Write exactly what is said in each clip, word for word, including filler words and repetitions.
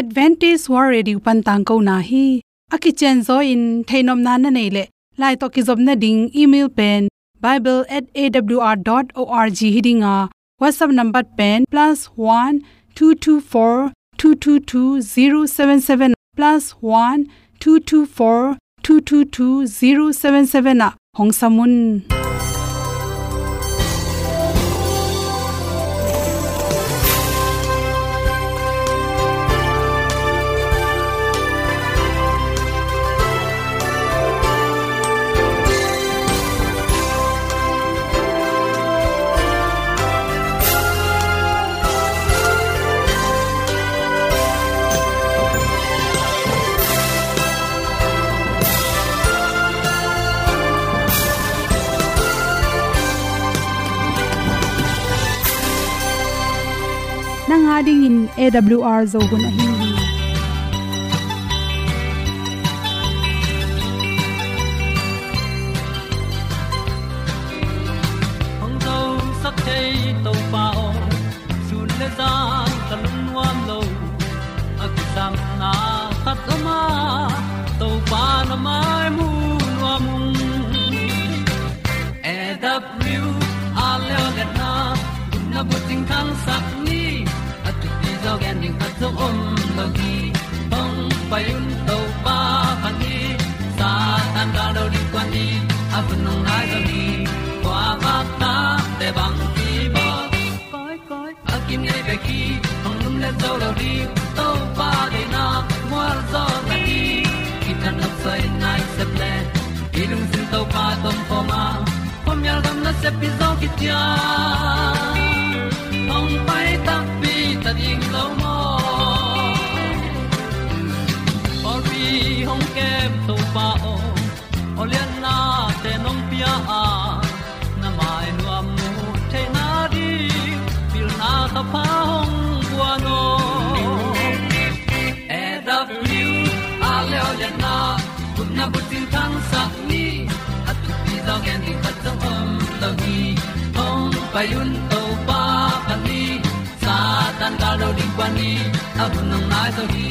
Adventist World Radio pan tangkona hi. A kicianzaw in theihnopna na neih leh, lai tawh kizopna ding email pen bible at A W R dot org hi ding a, WhatsApp number pen plus one two two four two two two zero seven seven, plus one two two four two two two zero seven seven ah hong sam un. Nang a dingin A W R Zo hun ahi hi. Hong zosak thei Topa aw, sun le zan ka lungnuam lo. A kisapna khat om a, Topa na mai mu nuam ung. A W R leo letna, gupna bucing thangsak ni. A thupi zaw gen ding khat zong om lo hi. Hong pai un Topa phat ni. Satan gal do ding kuan ni. A hun hong nai zaw ni. Kua vakta te bang kibawl. Koi, koi. A kinei bek hi, hong lum le zo lo ding, Topa deihna mual zaw na hi. Kithat nopsai nai sep le, i lungsim Topa tawh om khawm a, khuamial gam nasep hi zaw kician. Hong pai takpi ta ding lo maw? Pawlpi hong kem Topa aw, awliatnate nong pia a, na mai nuam mu theihna ding, pilna thapha hong guan aw. A W R leo letna, gupna bucing thangsak ni. A thupi zaw gen ding khat zong om lo hi. Hong pai un Topa phat ni. Satan gal do ding kuan ni. A hun hong nai zaw hi.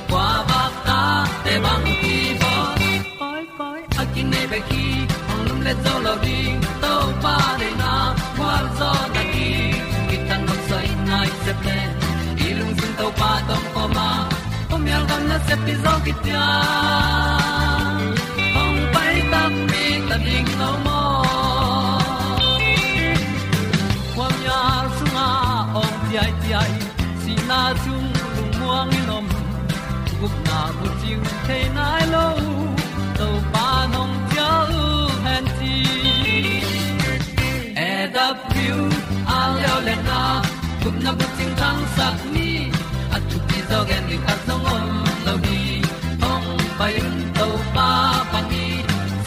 Kua vakta te bang kibawl. Koi, koi. A kinei bek hi, hong lum le zo lo ding, Topa deihna mual zaw na hi. Kithat nopsai nai sep le, i lungsim Topa tawh om khawm a, khuamial gam nasep hi zaw kician. Hong pai takpi ta ding lo maw? Khuamial sungah awng ciaiciai, sihna sung lungmuang in om, gupna bucing thei nai lo, Topa nong cial hen ci. A W R leo letna, gupna bucing thangsak ni. A thupi zaw gen ding khat zong om lo hi. Hong pai un Topa phat ni.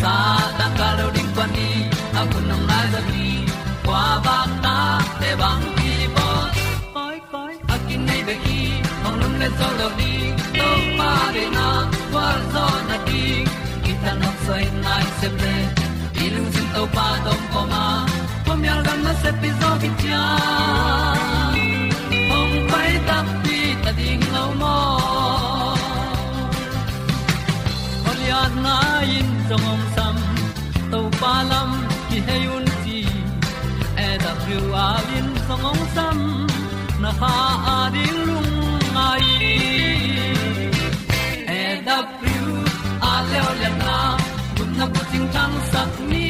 Satan gal do ding kuan ni. A hun hong nai zaw hi. Kua vakta te bang kibawl. Koi, koi. A kinei bek hi, hong lum le zo lo ding, Topa deihna mual zaw na ding. Kithat nopsai nai sep le, i lungsim Topa tawh om khawm a, khuamial gam nasep hi zaw kician. Hong pai takpi ta ding lo maw? Awliatna in zong hong sam, Topa lam kihei un ci. A W R in zong hong sam, na kha a ding lungngai. A W R leo letna, gupna bucing thangsak ni.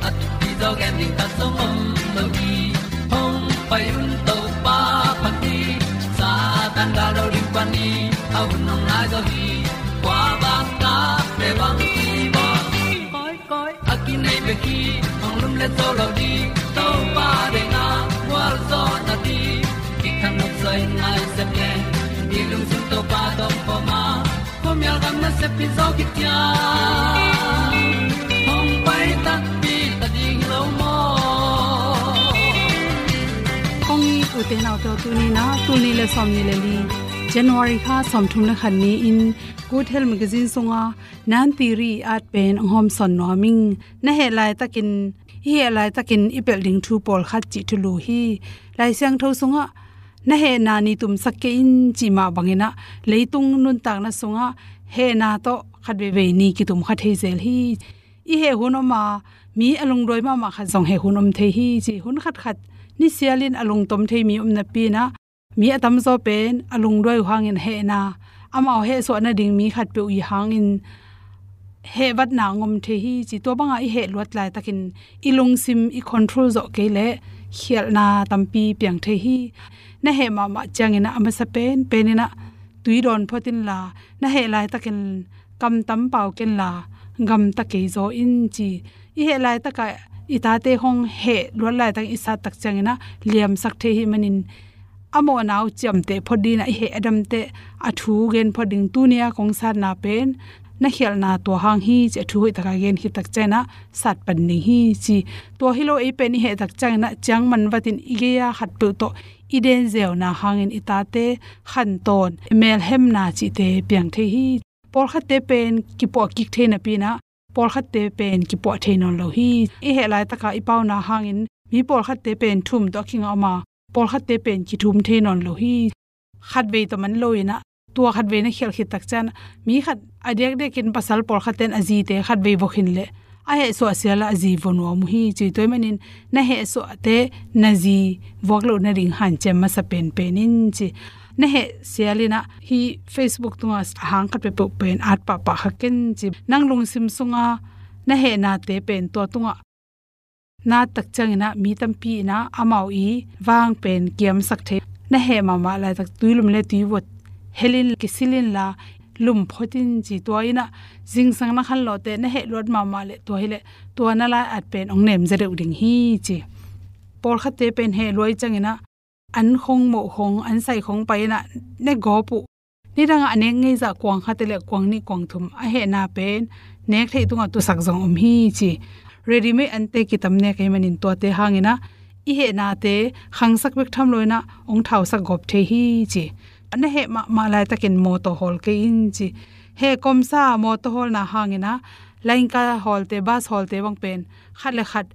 A thupi zaw gen ding khat zong om lo hi. Hong pai un Topa phat ni. Satan gal do ding kuan ni. A hun hong nai zaw hi. Kua vakta te bang kibawl. Koi, koi. A kinei bek hi, hong lum le zo lo ding, Topa deihna mual zaw na ding. Kithat nopsai nai sep le, i lungsim Topa tawh om khawm a, khuamial gam nasep hi zaw kician. Hong pai takpi ta ding lo maw? Kong it ute naute aw, tuni-in ah, tul nih le sawmnih le li, January kha sawmthum le khat ni-in, Good Health Magazine sungah Nan Tiri at pen hong hawmsawn nuam ing. Na heh laitakin, i heh laitakin i pelh ding thu pawlkhat cih thulu hi. Lai Siangtho sungah na hehna ni tumsak kei in cih mah bangin ah leitung nuntakna sungah hehna tawh khat veivei ni kitum kha thei zel hi. I heh hun om a, mi a lungduai mahmah khat zong heh hun om thei hi ci. Hun khatkhat nisialin a lungtom thei mi om napi-in ah, mi a tamzaw pen a lungduai uh hangin hehna, amau hehsuah nading mi khatpeuh i hangin hehvatna hong om thei hi ci. Tua bangah i heh luat laitakin i lungsim i control zawh kei leh khialhna tampi piang thei hi. Na heh mahmah ciangin ah a masa penpen in ah tui dawn phot inla, na heh laitakin kam tam pau kenla, gamta kei zaw in ci. I heh laitakah i tate hong heh luat laitak i sattak ciangin ah liamsak thei hi manin, a mawhna uh ciamteh phot dingin ah i heh a damteh a thu gen phot ding. Tuni-a kong satna pen na khialhna tua hang hi ci, a thu hoihtak a gen khittak ciangin ah sat pan ding hi ci. Tua hi lo, ei pen i hehtak ciangin ah ciangman vatin i gei-a khatpeuh tawh i den zeuna hangin i tate khantawn, melhemna cihte piang thei hi. Pawlkhatte pen kipuah kik thei napi-in ah pawlkhatte pen kipuah thei nawn lo hi. I heh laitaka i pauna hangin mi pawlkhatte pen thum tawh a kingah om a, pawlkhatte pen kithum thei nawn lo hi. Khatvei tawh man loin ah, tua khatvei na khialh khittak ciangin ah mi khat a diakdiakin pasal pawlkhatte in a zite khatvei vua khin leh a hehsuah sial ah a zi vua nuam uh hi ci. Tua ahih manin na hehsuahte na zi vuak loh nading hanciam masa penpen in ci. Na heh sialin ah hih Facebook tungah a hang khat peuhpeuh pen at pahpah kha ken ci. Nang lungsim sunga na hehnate pen tua tungah na attak ciangin ah mi tampi in ah amau i vang pen kiamsak thei. Na heh mahmah laitak tuilum le tuivot helin kisil inla lum phot in ci. Tua in ah zingsang na khanlawhte na heh luat mahmah leh tua hi leh tua na lai-at pen hong nemzia deuh ding hi ci. Pawlkhatte pen heh lua i ciangin ah an khong moh khong, an sai khong pai in ah ne gawp uh. Nidangah a nek ngeizah kuang khat le kuang nih kuang thum a hehna pen nek theih tungah tusak zong om hi ci. Readymade ante kitam nek ahih manin tuate hangin ah i hehnate khangsak bek tham loin ah hong thausak gawp thei hi ci. Na heh mahmah laitakin mawtaw hawl kei in ci. Heh komsa mawtaw hawlna hangin ah lainka hawlte, bus hawlte bang pen khat le khat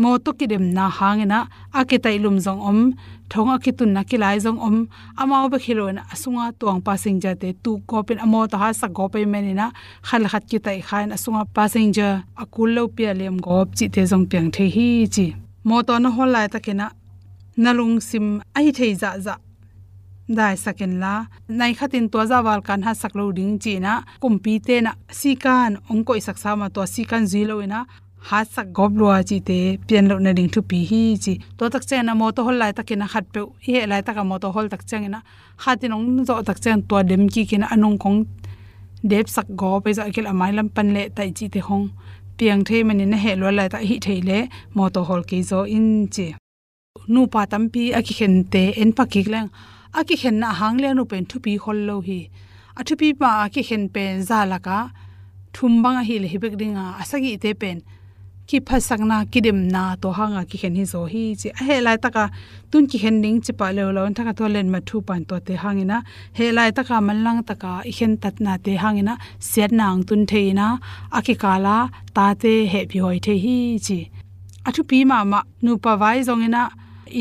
mawtaw kidemna hangin ah a kitaih lum zong om, thong a kitunna kilai zong om. Amau bek hi loin ah a sunga tuang passenger-te tuk gawpin a mawtaw hatsak gawp ahih manin ah khat le khat kitaih kha in a sunga passenger a kul lopi a liam gawp cihte zong piang thei hi ci. Mawtaw na hawl laitakin ah na lungsim ahi thei zahzah daisak inla, nai khatin tua zah val kan hatsak lo ding ci-in ah kumpite in ah sikan hong koihsak sa mah, tua sikan zui loin ah hatsak gawp lua cihte pian loh nading thupi hi ci. Tua tak ciangin ah mawtaw hawl laitakin ah khatpeuh, i heh laitakah mawtaw hawl tak ciangin ah khatin hong zawh tak ciangin tua dem kikin ah a nung kong depsak gawp, ei zawh a kilh a mailam pan leh taih cihte hong piang thei manin na heh luat laitak ahih thei leh mawtaw hawl kei zaw in ci. Nupa tampi a kikhente en pha kik leng, a kikhenna a hang lian uh pen thupi khol lo hi. A thupi mah a kikhen pen za lakah thum bang ahih leh hi bek ding a, a sagihte pen kiphatsakna, kidemna, tua hanga kikhen hi zaw hi ci. A heh laitaka tun kikhen ding ci pah leuleu in thakhat tua letmat thupan tuate hangin ah, heh laitaka manlang taka i khentatnate hangin ah siatna hong tun thei in ah, a kikala tate hehpih huai thei hi ci. A thupi mahmah nupa vai zongin ah,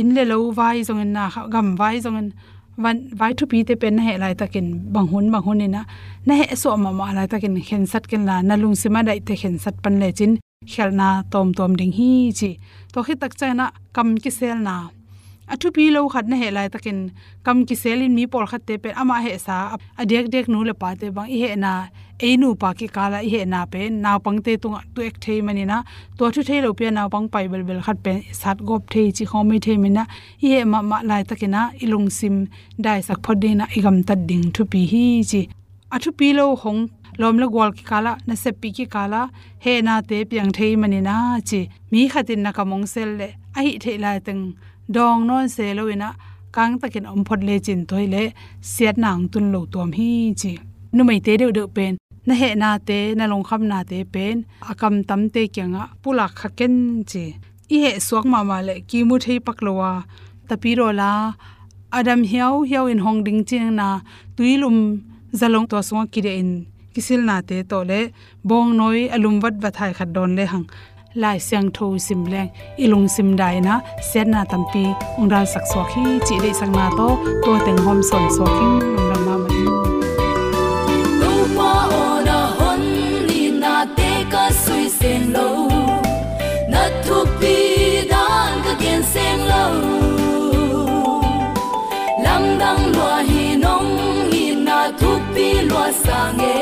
inn le lo vai zongin ah, gam vai zongin, van, vai thupite pen na heh laitakin bang hun bang hun in ah na heh suah mahmah laitakin khensat kenla, na lungsim a daihte khensat pan lecin khialhna tawmtawm ding hi ci. Tua khit tak ciangin ah kam kiselna, a thupi lo khat na heh laitakin kam kiselin mi pawlkhatte pen amah hehsa a diakdiak nu le pate bang i hehna, ei nupa kikala i hehna pen naupangte tungah tu-ek thei manin ah, tua thu thei lopi a naupang pai belbel khat pen sat gawp thei cih khawng om thei manin ah, i heh mahmah laitakin ah i lungsim daisak phot dingin ah i gamtat ding thupi hi ci. A thupi lo hong lawm le gual kikalah, naseppih kikalah hehnate piang thei manin ah ci. Mi khatin na kam hong sel leh ahih theih laiteng dawng nawn se loin ah kangtakin om phot lecin tua hileh siatna hong tun lo tuam hi ci. Numeite deuhdeuh pen na hehnate, na lungkhamnate pen a kamtamte kiangah pulak kha ken ci. I heh suak mahmah leh kimu thei pak lo a, tapi dawla a dam hiauhiau in hong ding cihna, tuilum zalong tua sungah kidiahin kisilnate tawh le bawngnawi a lum vatvat hai khat dawn lehang Lai Siangtho sim leng i lungsim dai in ah siatna tampi hong dalsak suak hi cih deihsakna tawh tua teng hawm sawn suak hi. Lungdam mahmah hi. Topa aw, na hon itnate ka sui seng lo, na thukpi dan ka gen seng lo. Lamdang lua hi, nong itna thukpi lua sang e,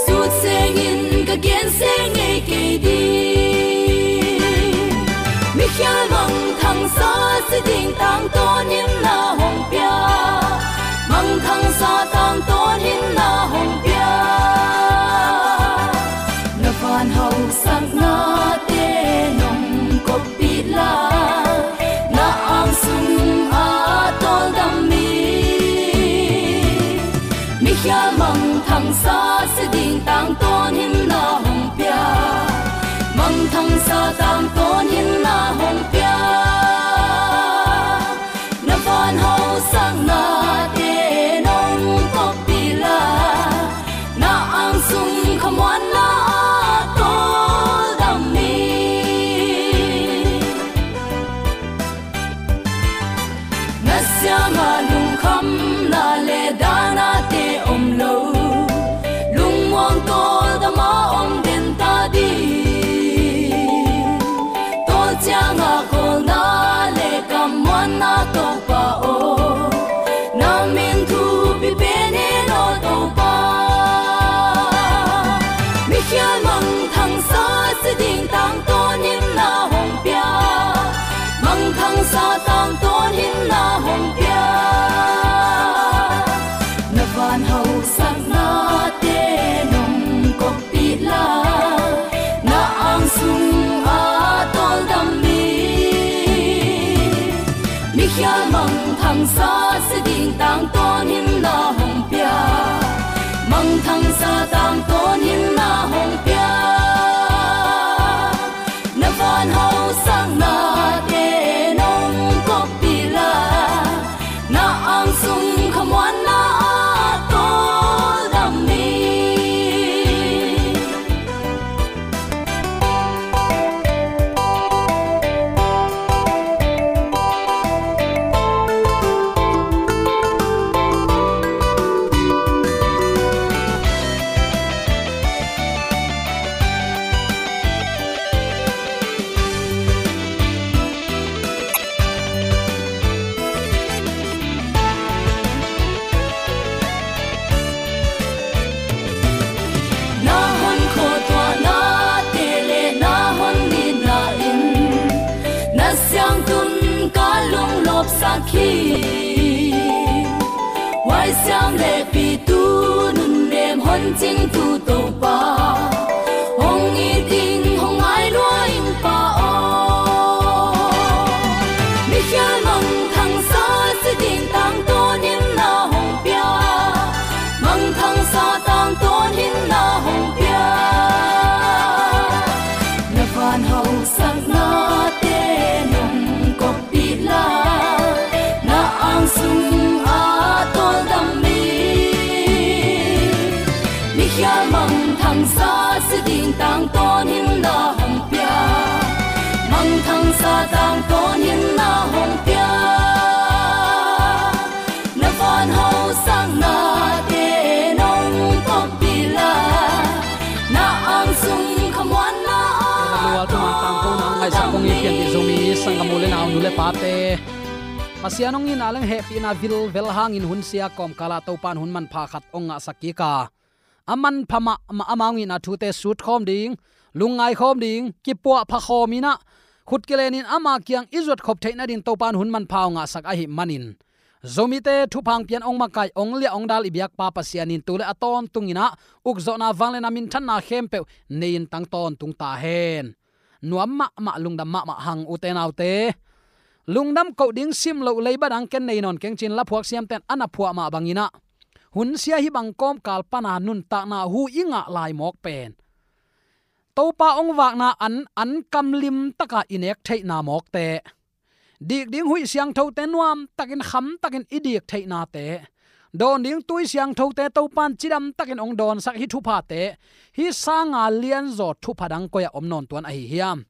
sut sengin ka gen seng ngei kei ding. Mikhial mangthangsa si ding tangtawn in na hong pia, mangthangsa tangtawn in na hong pia. Na van hausaknate nong koppih la, na ang sung a tawldam mi. Mikhial mangthangsa si ding tangtawn in na hong pia, mangthangsa tangtawn in na hong pia. Na van hausaknate nong koppih la, na ang sung khamuanna a tawldam mi. Na siangah lungkhamna le dahnate om lo, lungmuang tawldam a om den ta ding. Tawl ciangah kawlna le kammuanna Topa aw, na min thupi pen hen aw Topa. Mikhial mangthangsa si ding tangtawn in na hong pia, mangthangsa tangtawn in na hong pia. Na van hausaknate nong koppih la, na ang sung a tawldam mi. Mikhial mangthangsa si ding tangtawn in na hong pia, mangthangsa tangtawn in na hong pia. Na van hausaknate nong koppih la, na ang sung khamuanna a tawldam mi. Na hon khuatuahnate le na hon itna in na siangtun ka lunglawpsak hi. Huaisiam le pitu nunnem hon cingtu Topa, hong it ing hong ngai lua ing Pa aw. Mikhial mangthangsa si ding tangtawn in na hong pia, mangthangsa tangtawn in na hong pia. Na van hausaknate nong kop pih la, na ang sung a tawldam mi. Mikhial mangthangsa si ding tangtawn in na hong pia, mangthangsa tangtawn in na hong pia. Na van hausaknate nong kop pih la, na ang sung khamuanna a tawldam mi. Pasian hong itna leng hehpihna vilvel hangin hun sia kawmkalah Topan hun manpha khat hong ngahsak kik a, a manpha mahmah ama hong itna thute sutkhawm ding, lungngai khawm ding, kipuahpha khawm in ah, khut kilenin ama kiang i zuat khop theih nading Topan hun manpha hong ngahsak ahih manin, Zomite thupha hong pian hong makaih hong liah hong dal i biakpa Pasian in tu le a tawntung in ah ukzawhna, vangliatna, minthanna khempeuh nei-in tang tawntung ta hen. Nuam mahmah, lungdam mahmah hang ute naute. Lungdam koh ding sim loh leiba dang ken nei nawn keng ci-in laphuak siamten a na phuah mah bangin ah, hun sia hih bang kawmkal pana nuntakna hu i ngah lai mawk pen Topa hong vakna an, an kam limtaka i nek theihna mawkte, dik ding huih siangthote nuamtakin, khamtakin i dik theihnate, dawn ding tui siangthote Topan cidam takin hong dawnsak hih thuphate, hih sanga lianzaw thupha dang koi-ah om nawn tuan ahi hiam?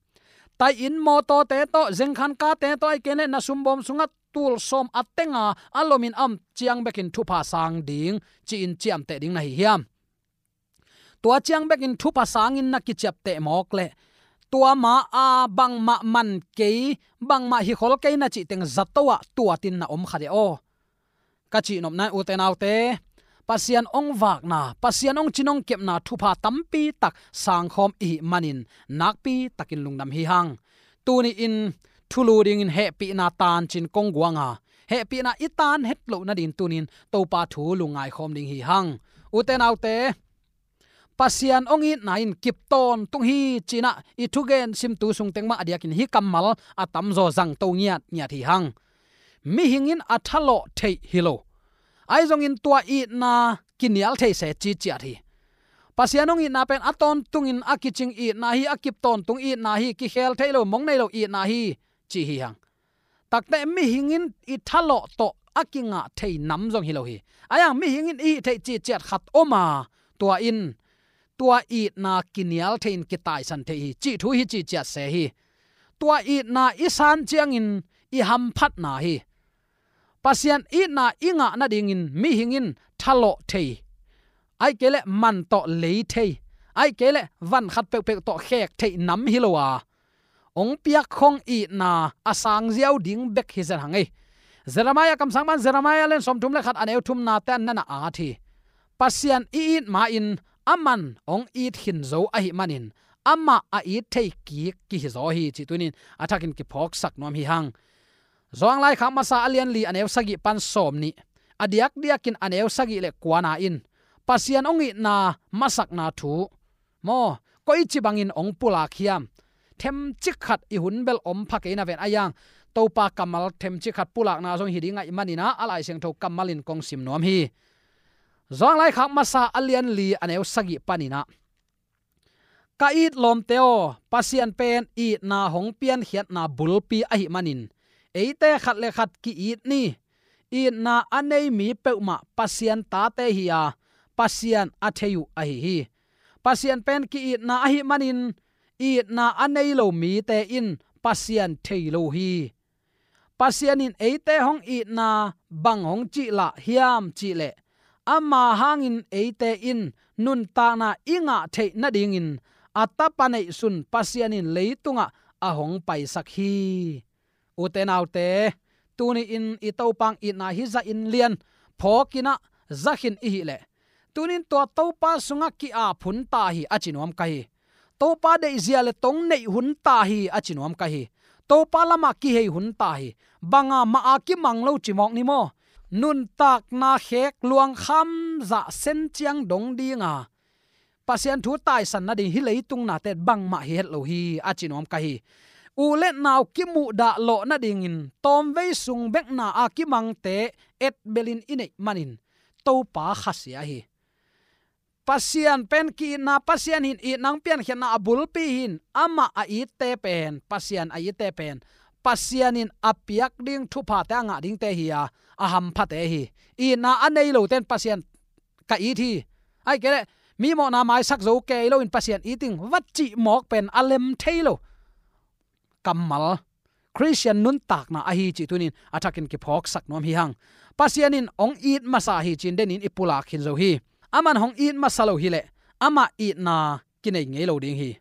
Tai-in mawtawte tawh, zengkhan kate tawh, ahih kei leh na sumbawm sungah tulsawm a tenga a lomin a om ciang bekin thupha sang ding ci-in ciamteh ding na hi hiam? Tua ciang bekin thupha sangin na kiciapteh mawk leh, tua ma-a bangmah man kei, bangmah hikhol kei na cih teng zato-ah tuatin na om kha dih aw. Ka cihnopna in, ute naute, Pasian hong vakna, Pasian hong cin hong kepna thupha tampi tak sangkhawm i hih manin nakpi takin lungdam hi hang. Tuni-in thulu dingin hehpihna tancin kong guang a, hehpihna i tan het loh nadingin tuni-in Topa thu lungngaikhawm ding hi hang. Ute naute, Pasian hong itna in kip tawntung hi ci-in ah i thugen simtu sung teng mah a diakin hih kammal a tamzaw zangto ngiatngiat hi hang. Mihing in a thalawh theih hi lo, ahi zongin tua itna kinial thei se ci ciat hi. Pasian hong itna pen a tawntungin a kicing itna hi, a kip tawntung itna hi, kikhel thei lo, mong nei lo itna hi ci hi hang. Takte mihing in i thalawh tawh a kingah thei nam zong hi lo hi. Ahi hang mihing in i hih theih cih ciat khat om a, tua in tua itna kinial thei-in kitaisan thei hi cih thu hi ci ciat se hi. Tua itna i san ciangin i hamphatna hi. Pasian itna i ngah nadingin mihing in thalawh thei, ahih kei leh man tawh lei thei, ahih kei leh van khat peuhpeuh tawh khek theih nam hi lo a, hong piak khong itna a sang ziau ding bek hi zen hang ei. Jeremiah kamsang pan, Jeremiah lian sawmthum le khat, a neu thumnate ah na na at hi. Pasian i it ma-in aman hong it khin zo ahih manin amah a it thei kik kihi zaw hi cih tuni-in a thakin kiphawksak nuam hi hang. Johan laikhak masa a lian li, a neu sagih pan sawmnih, a diakdiakin a neu sagih le kuana in Pasian hong itna masakna thu maw, koici bangin hong pulak hiam? Themcik khat i hun bel om pha kei na ven, ahi hang Topa kammal themcik khat pulakna zong hi ding ahih manin ah, a Lai Siangtho kammal in kong sim nuam hi. Johan laikhak masa a lian li, a neu sagih panin ah, ka it lawmte aw, Pasian pen itna hong piankhiatna bulpi ahih manin eite khat le khat ki-it ni. Itna a nei mi peuhmah Pasian tate hi a, Pasian a thei uh ahi hi. Pasian pen ki-itna ahih manin itna a nei lo mite in Pasian thei lo hi. Pasian in eite hong itna bang hong cihlah hiam cih leh, ama hangin eite in nuntakna i ngah theih nadingin a Tapa neihsun Pasian in leitungah a hong paisak hi. Ute naute, tuni-in i Topa hong itna hih zahin lian phawkin ah za khin i hih leh, tuni-in tua Topa sungah ki-ap hun ta hi a ci nuam ka hi. Topa deihzia le tong neih hun ta hi a ci nuam ka hi. Topa lamah kihei hun ta hi. Banga mah a kimang lo ci mawk ni maw? Nuntakna khek luangkham zah sen ciang dong dinga Pasian thu taisan nading hih leitung nate bangmah hi het lo hi a ci nuam ka hi. U le nau kimuhdah lawh nadingin tawmvei sung bekna a kimangte etbelin i neih manin Topa khasia hi. Pasian pen ki-itna, Pasian in itna hong piankhiatna a bulpi hi-in, amah a itte pen, Pasian a itte pen Pasian in a piak ding thuphate a ngah dingte hi a, a hamphate hi. Itna a nei lote in Pasian ka it hi, ahih kei leh mi mawhna maisak zo kei loin Pasian it ing va cih mawk pen a lem thei lo kammal Khristian nuntakna ahi cih tuni-in a thakin kiphawksak nuam hi hang. Pasian in hong it masa hi ci-in denin i pulak khin zo hi. Aman hong it masa lo hi leh amah itna kinei ngei lo ding hi.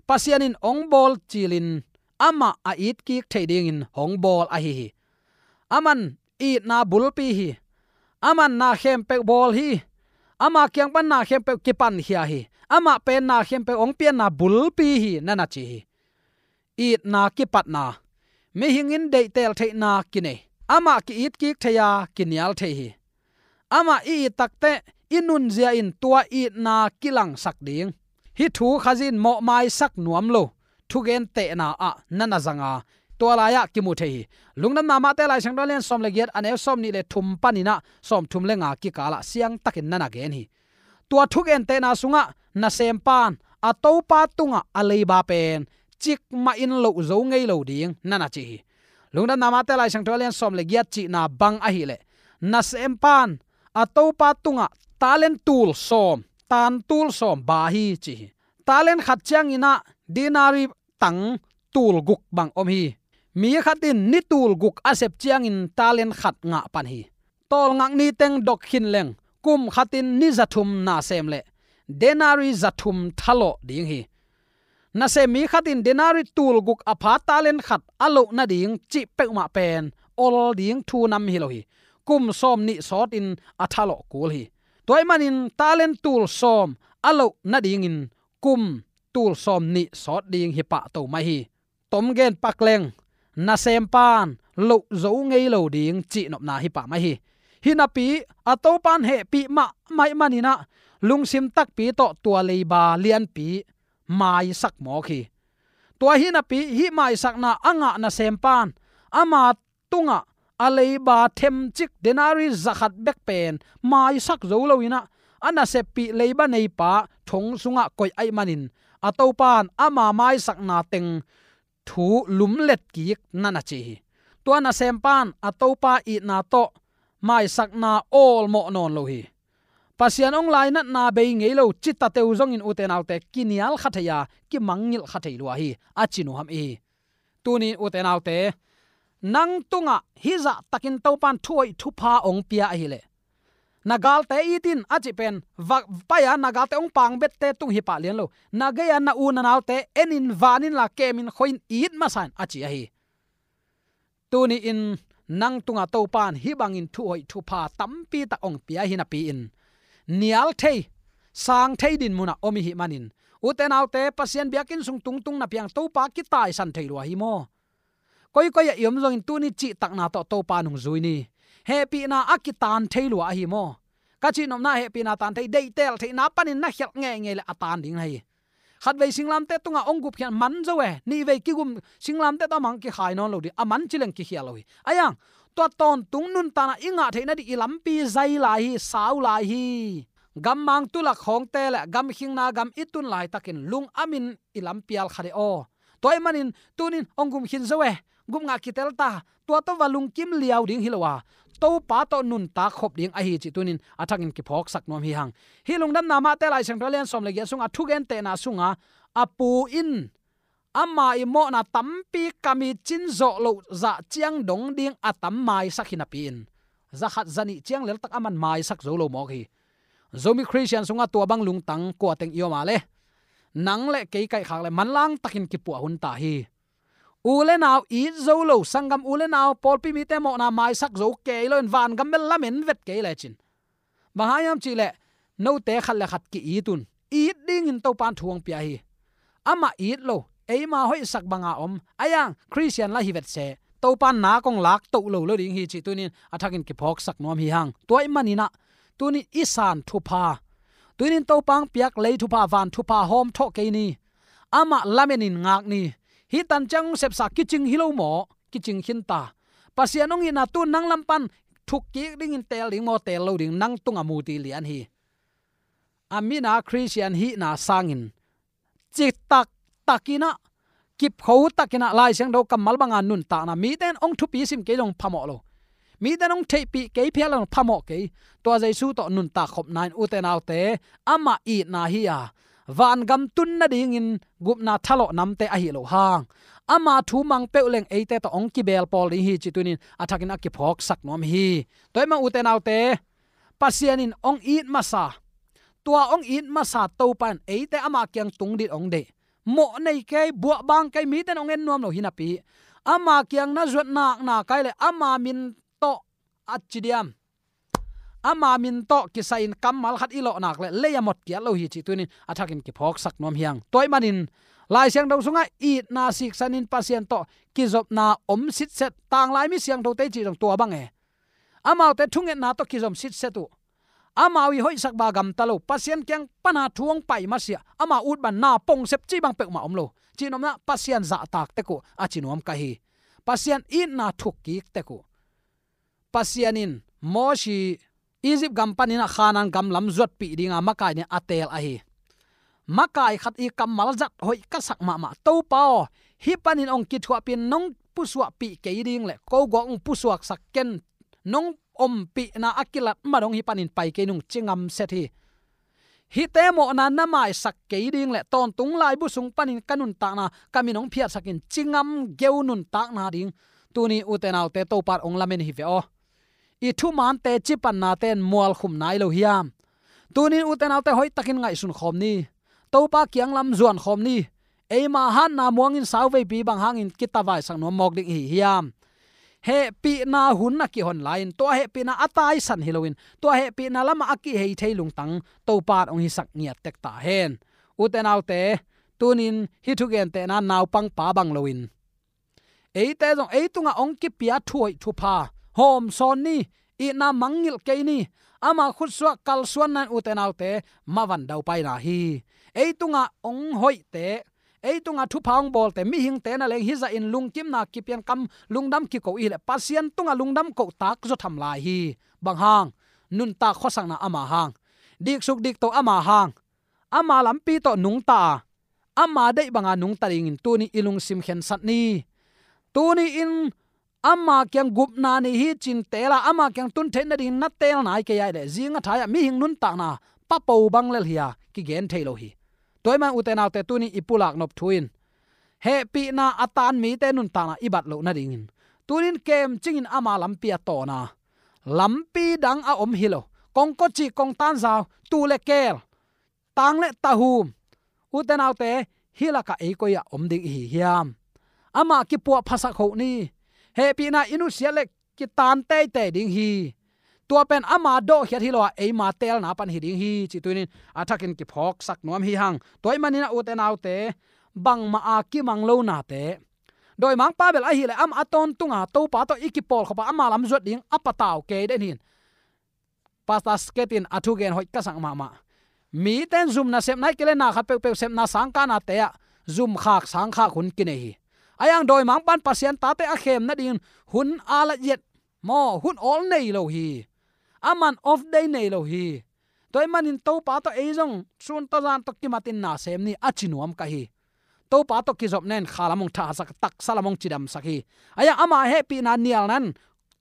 Pasian in hong bawl cilin amah a it kik thei dingin hong bawl ahi hi. Aman itna bulpi hi. Aman na khempeuh bawl hi. Ama kiang pan na khempeuh kipankhia hi. Amah pen na khempeuh hong pianna bulpi hi, na na ci hi. Itna kipatna, mihing in deihtel theihna kinei. Amah ki-it kik thei a, kinial thei hi. Amah i it takteh i nunzia in tua itna kilangsak ding. Hih thu Khazih in mawhmaisak nuam lo thugentehna ah na na zang a, tua lai-ah kimu thei hi. Lungdamna Mate Lai Siangtho a lian sawm le giat, a neu sawmnih le thum panin ah sawmthum le nga kikal ah siangtakin na na gen hi. Tua thugentehna sungah nasempa in a topa tungah a leiba pen cikmahin loh zo ngei lo ding, na na ci hi. Lungdamna Mate Lai Siangtho a lian sawm le giat cihna bang ahih leh, nasempa in a topa tungah talent tul sawm, tan tul sawm ba hi ci hi. Talent khat ciangin ah denari tang tul guk bang om hi. Mi khat in ni tul guk a sep ciangin talent khat ngah pan hi. Tawlngak ni teng dok khin leng kum khatin ni za thum nasem le denari za thum thalawh ding hi. Nasem mi khatin denari tul guk a pha talent khat a loh nading cih peuhmah pen ol ding thu nam hi lo hi. Kum sawm nih sawtin a thalawh kul hi. Tua ahih manin talent tul sawm a loh nadingin kum tul sawm nih sawt ding hi pahto mai hi. Tom gen pak leng nasempan loh zo ngei lo ding cihnopna hi pah mai hi. Hinapi a topan hehpih mahmah ahih manin ah lungsim takpi tawh tua leiba lianpi maisak mawk hi. Tua hinapi hih maisakna a ngah nasempan ama tungah a leiba themcik denari za khat bek pen maisak zo loin ah a naseppih leiba neipa thong sungah koih ahih manin a topan ama maisakna teng thu lumlet kik na na ci hi. Tua nasempan a topa itna tawh maisakna awlmawh nawn lo hi. Pasian hong lainatna bei ngei lo citateu zongin ute naute kinial kha thei a kimangngilh kha thei lua hi a ci nuam i hi. Tunin ute naute, nang tungah hih zahtakin topan thuhoih thupha hong pia ahileh na galte it in a cih pen va pai a na galte hong pangbette tung hi pah lian lo. Na gei-a na u na naute en in, van in la, kem in, khoi in, it masa in a ci ahi. Tuni-in nang tungah topan hih bangin thuhoih thupha tampi tak hong pia hi napi-in nial thei, sang thei din munah om i hih manin ute naute, Pasian biakinn sung tungtung na piang topa kitaisan thei lua hi maw? Koikoi ah i om zongin tuni cihtakna tawh topa nungzui ni. Hehpihna a kitaan thei lua ahi maw? Ka cihnopna hehpihna taan thei, deihtel theihna panin na khialh ngeingei le a taan ding na hi. Khatvei singlamteh tungah hong gupkhiat man zo e, nihvei kigum singlamteh tawh a mang kikhai nawn lo ding, a man cileng kikhial lo hi. Aiang, tua tawntung nuntakna i ngah theihna ding i lampi zai lai hi, sau lai hi. Gammang tulak khawngte le gamkhingna gam i tun laitakin lung amin i lampial kha de aw. Tua ahih manin tunin hong gum khin zo e, gupngah kitel ta, tua tawh va lungkim liau ding hi lo a, topa tawh nuntak khop ding ahi cih tunin a thakin kiphawksak nuam hi hang. Hih lungdamna Mate Lai Siangtho a lian sawm le giat sungah thugentehna sungah a pu in ama i mawhna tampi kam i cin zawh loh zah ciang dong ding a tam maisak hi napi-in za khat za nih ciang leltak aman maisak zo lo mawk hi. Zomi Khristian sungah tua bang lungtang kua teng i om a le nang le kei kaihkhak le manlang takin kipuah hun ta hi. U le nau it zo lo, sanggam u le nau pawlpi mite mawhna maisak zo kei loin vangam bel lamen vet kei lecin bang hang hiam cihleh note khat le khat ki-it un. It dingin topan thu hong pia hi. Amah it lo, eima hoihsak banga om aiang Khristian la hi vetseh, topan nak hong lak toh lo lo ding hi cih tunin a thakin kiphawksak nuam hi hang. Tua ahih maninah tunin i san thupha, tunin topa hong piak lei thupha, van thupha hawm thawh kei ni. Amah lamenin ngak ni. Hih tan ciang hong sepsa kicing hi lo maw? Kicing khin ta. Pasian hong itna tun nang lam pan thuk kik dingin teel ding maw, teel lo ding, nang tungah muti lian hi. A mina Khristian hihna sangin citak takinah, kipkho takinah Lai Siangtho kammal banga nuntakna, mite in hong thupi sim kei zong phamawh lo, mite in hong theihpih kei phial zong phamawh kei. Tua Jesu tawh nuntak khopna in ute naute, amah itna hi a, vangam tun nadingin gupna thalawh namte ahi lo hang, ama thu mang peuh leng eite tawh hong kibeel pawl ding hi cih tunin a thakin a kiphawksak nuam hi. Tua ahih mah ute naute, Pasian in hong it masa, tua hong it masa Topa in eite ama kiang tung ding hong deih. Mawh nei kei, buah bang kei, mite in hong en nuam lo hi napi, ama kiang na zuat nakna kai le ama min tawh a ci diam, ama min tawh kisai-in kammal khat i lawh nak le lei a mot kiat lo hi cih tunin a thakin kiphawksak nuam hi hang. Tua ahih manin Lai Siangtho sungah itna siksanin Pasian tawh kizopna om sitset, tanglai mi siangthote cih zong tua bang e. Amaute thungetna tawh kizom sitset uh. Amau i hoihsak ba gamta lo, Pasian kiang pana thu hong pai masiah, ama ut ban na pong sep cih bang peuhmah om lo. Cihnopna, Pasian zahtak tek uh a ci nuam ka hi. Pasian itna thukkik tek uh. Pasian in Mosi Egypt gam panin a Khanaan gam lam zuatpih dinga makai nih a teel ahi. Makai khat i kammal zat hoih ka sak mahmah. Topa aw, hih panin hong kithuahpih in nong pusuahpih kei ding le ko guak hong pusuaksak ken, nong ompihna a kilat ma dong hih panin pai kei nung ci ngamset hi. Hihte mawhna na maisak kei ding le tawntung laibu sung panin ka nuntakna ka min hong phiatsak in ci ngam geu nuntakna ding tuni ute naute Topa in hong lamen hi ve aw. I thumante cipannate in mualkhum nai lo hiam? Tunin ute naute hoihtakin ngaihsun khawm ni. Topa kiang lam zuan khawm ni. Eima hatna muangin sauveipi bang hangin kitavaisak nuam mawk ding i hi hiam? Hehpihna hun a kihon lai-in tua hehpihna a taisan hi loin tua hehpihna lamah a kihei thei lungtang Topa in hong hisak ngiat tek ta hen. Ute naute, tunin hih thugentehna naupangpa bang loin eite zong ei tungah hong kipia thuhoih thupha hawmsawn ni. Itna mangngilh kei ni. Ama khutsuah kalsuanna in ute naute mavan daupaina hi. Ei tungah hong hoihte, ei tungah thupha hong bawlte, mihingte na leng hih zahin lungkimna kipian kam lungdam kiko i hih leh Pasian tungah lungdam kohtak zaw tham lai hi. Bang hang? Nuntak khuasakna ama hang, diksuk dikto ama hang, ama lampi tawh nungta a, ama deih banga nungta dingin tuni i lungsim khensat ni. Tuni in ama kiang gupna nei hi cin teel a, ama kiang tun theih nadingin na teel nai kei a hih leh zing a thai-ah mihing nuntakna papo bang lel hi a kigen thei lo hi. Tua ahih man ute naute tuni i pulak nop thu in hehpihna a taan mite nuntakna i bat loh nadingin tunin kemcingin ama lampi a tawn a, lampi dang a om hi lo, kongkocih kongtanzau, tuu le keel, tang le tahum, ute naute, hih lakah ei koi-ah om ding i hi hiam? Amah kipuah phasak hoh ni. Hehpihna i nusiat le kitaan teitei ding hi. Tua pen ama dawhkhiat hi lo a, eima teelna pan hi ding hi cih tunin a thakin kiphawksak nuam hi hang. Tua ahih manin a ute naute, bangmah a kimang lo nate, dawimangpa bel ahih leh amah a tawntunga Topa tawh i kipawlkhop a ama lam zuat ding a patau kei den hi. Pastor Skate in a thugen hoih ka sak mahmah. Mite in zum nasepna hi kei leh na khat peuhpeuh sepna sangkahnate ah zumkhak sangkhak hun kinei hi. Ahi hang dawimangpa in Pasian tate a khem nadingin hun a la yet maw, hun awl nei lo hi. Aman off day nei lo hi. Tua ahih manin Topa tawh ei zong sun tawh zan tawh kimatin na sem ni a ci nuam ka hi. Topa tawh kizopna in kha lam hong thahsak, taksa lam hong cidamsak hi. Ahi hang ama hehpihna nialna in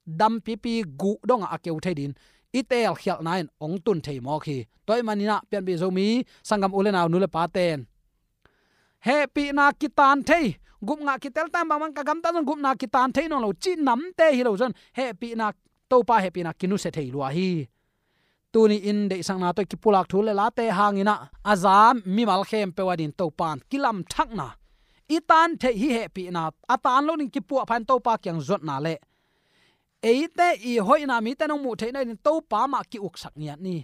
dampipi guh dongah a keu thei dingin i teelkhialhna in hong tun thei mawk hi. Tua ahih manin ah Pianpih Zomi sanggam u le nau, nu le pate'n hehpihna kitaan thei, gupna kitel tan bangbang ka gamta zong gupna kitaan thei nawn lo cih namte hi lo zong hehpihna, Topa hehpihna kinusia thei lua hi. Tuni in deihsakna tawh i kipulak thu le late hangin ah a za mimal khempeuh adingin Topa in kilamthakna, i taan theih hih hehpihna a taan lo ding kipuahpha in Topa kiang zuatna le eite i hoihna mite in hong muh theihna dingin Topa mah ki-uksak ngiat ni.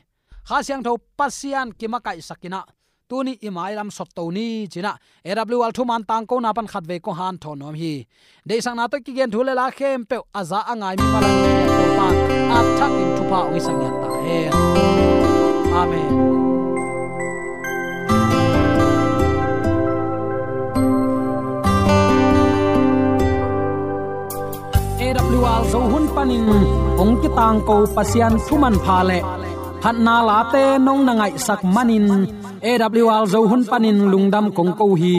Kha Siangtho Pasian kimakaihsak in ah tuni i mailam sotto ni ci-in ah A W R thuman tangkona pan khatvei kong hanthawn nuam hi. Deihsakna tawh kigen thu le la khempeuh a za a ngai mipa lam Topa in a thakin thupha hong hisak ngiat ta hen. Amen. A W R Zo hun panin hong kitangko Pasian thumanpha le phatna late nong na ngaihsak manin A W R Zo hun panin lungdam kong ko hi.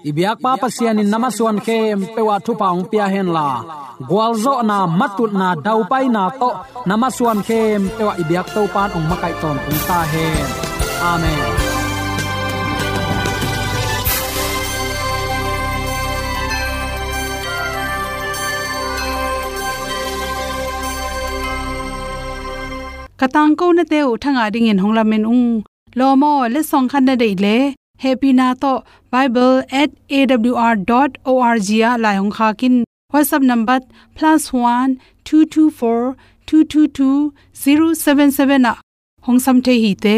I biakpa Pasian in na masuan khempeuh ah thupha hong pia henla, gualzawhna, matutna, daupaina tawh na masuan khempeuh ah i biak Topa in hong makaih tawntung ta hen. Amen. Ka tangkonate uh thangah dingin hong lamen ung. Lawm aw, letsong khat na deih leh hehpihna tawh bible at A W R dot O R G ah lai hong khak in. WhatsApp number plus one two two four two two two zero seven seven ah hong sam thei hi te.